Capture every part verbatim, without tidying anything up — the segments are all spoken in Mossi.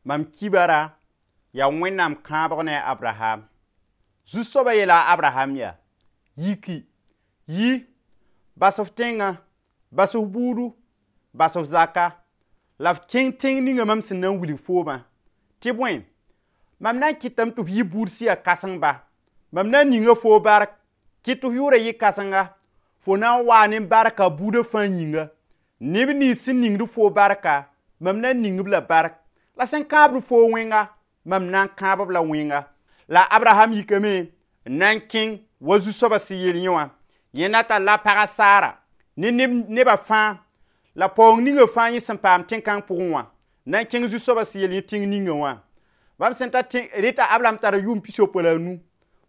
Mam kibara yaa Wẽnnaam kãabg ne a Abraham. Zu-soabã yeela a Abraham yaa: yiki, yi, bas f tẽngã, bas f buudu, bas f zaka, la f kẽng tẽng ninga mam sẽn na n wilg foomã. Tɩ bõe, mam na n kɩtame tɩ f yɩ buud sẽn yaa kãseng ba. Mam na n ninga foo bark, kɩt tɩ f yʋʋra yɩ kãsenga, fo na n waa ne barka buudã fãa yĩnga. Neb nins sẽn ningd foo barka, mam na n ning-b la bark, la sẽn kãabd foo wẽnga, mam na n kãab-b la wẽnga. La Abraham yikame n na n kẽng wa zu-soabã sẽn yeel yẽ wã. Yẽnda talla a pagã Sara ne nebã fãa la paoong ninga fãa yẽ sẽn paam tẽn-kãng pʋgẽ wã, na n kẽng zu-soabã sẽn yeel yẽ tẽng ninga wã. Bãmb sẽn ta reta Abraham tara yʋʋm pis-yopoe la a nu.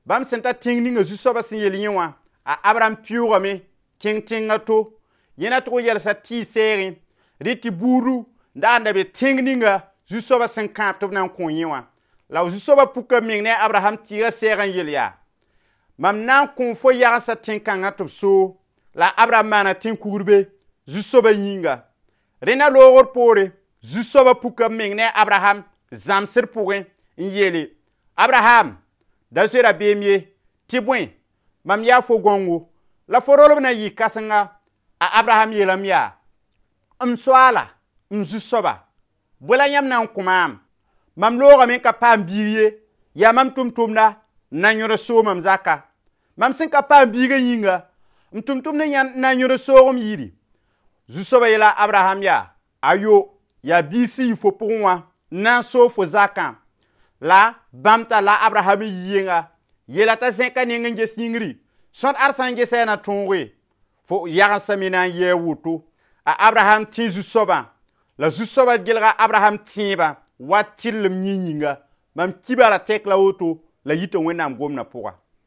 Bãmb sẽn ta tẽng ninga zu-soabã sẽn yeel yẽ wã, a Abraham pɩʋʋgame kẽng tẽngã to. Yẽ na tʋg n yɛlsa tɩɩs sɛɛgẽ, rɩ tɩ buudu n dag n da be tẽng ninga zu-soabã sẽn kãab tɩ b na n kõ yẽ wã. La zu-soabã puka meng ne a Abraham tɩɩgã sɛɛg n yel yaa: mam na n kõ fo yagensã tẽn-kãngã tɩ b soog. La Abraham maana tẽn-kugr zu-soabã yĩnga. Rẽnda loogr poore, zu-soabã puka meng ne a Abraham zãmsd pʋgẽ n yeele: Abraham, da zoe rabeem ye, tɩ bõe, mam yaa fo gãongo, la fo rolb na n yɩ kãsenga. A Abraham yeelame yaa: m soaala, m zu-soaba, bõe la yãmb na n kõ maam? Mam loogame n ka paam biig ye, yaa mam tʋm-tʋmda n na n yõd soog mam zaka. Mam sẽn ka paam biigã yĩnga, m tʋm-tʋmd na n yõd soog m yiri. Zu-soabã yeela Abraham yaa: ayo, yaa biig sẽn yɩ fo pʋgẽ wã n na n soog fo zakã. La bãmb talla Abraham n yi yenga, yeela t'a zẽka neng n ges yĩngri, sõd ad sã n gesa yaa na tõoge, fo yagensã me na n yɩ a woto. A Abraham tẽ zu-soabã, la zu-soabã gelga Abraham tẽebã wa tɩrlem yẽ yĩnga. Mam kibara tɛk la woto la yita Wẽnnaam gomdã pʋga.